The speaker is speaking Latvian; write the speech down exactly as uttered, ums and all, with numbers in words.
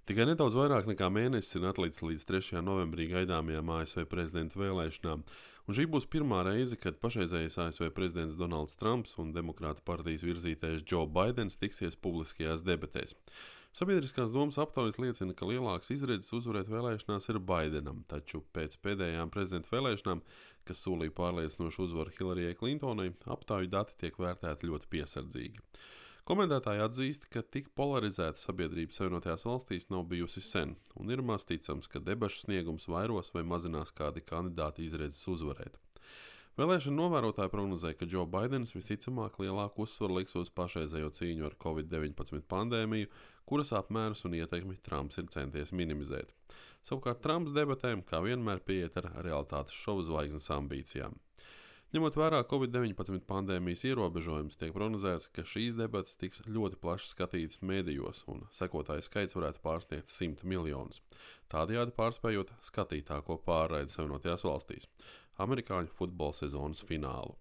Tikai nedaudz vairāk nekā mēnesis ir atlicis līdz trešajā novembrī gaidāmajām A S V prezidenta vēlēšanām, un šī būs pirmā reize, kad pašreizējais A S V prezidents Donalds Trumps un Demokrātu partijas virzītājs Džo Baidens tiksies publiskajās debatēs. Sabiedriskās domas aptaujas liecina, ka lielāks izredzes uzvarēt vēlēšanās ir Baidenam, taču pēc pēdējām prezidenta vēlēšanām, kas solīja pārliecinošu uzvaru Hillarijai Klintonai, aptauju dati tiek vērtēti ļoti piesardzīgi. Komentētāji atzīst, ka tik polarizēta sabiedrība Savienotajās valstīs nav bijusi sen, un ir maz ticams, ka debašu sniegums vairos vai mazinās kādi kandidāti izredzes uzvarēt. Vēlēšana novērotāji prognozē, ka Džo Baidens visticamāk lielāku uzsvaru liks uz pašreizējo cīņu ar covid deviņpadsmit pandēmiju, kuras apmērus un ietekmi Trumps ir centies minimizēt. Savukārt Trumps debatēm, kā vienmēr, pieiet ar realitātes šovu zvaigznes ambīcijām. Ņemot vērā covid deviņpadsmit pandēmijas ierobežojumus, tiek prognozēts, ka šīs debates tiks ļoti plaši skatītas medijos, un sekotāju skaits varētu pārsniegt simtu miljonus. Tādējādi pārspējot skatītāko pārraidi Savienotajās valstīs – amerikāņu futbola sezonas finālu.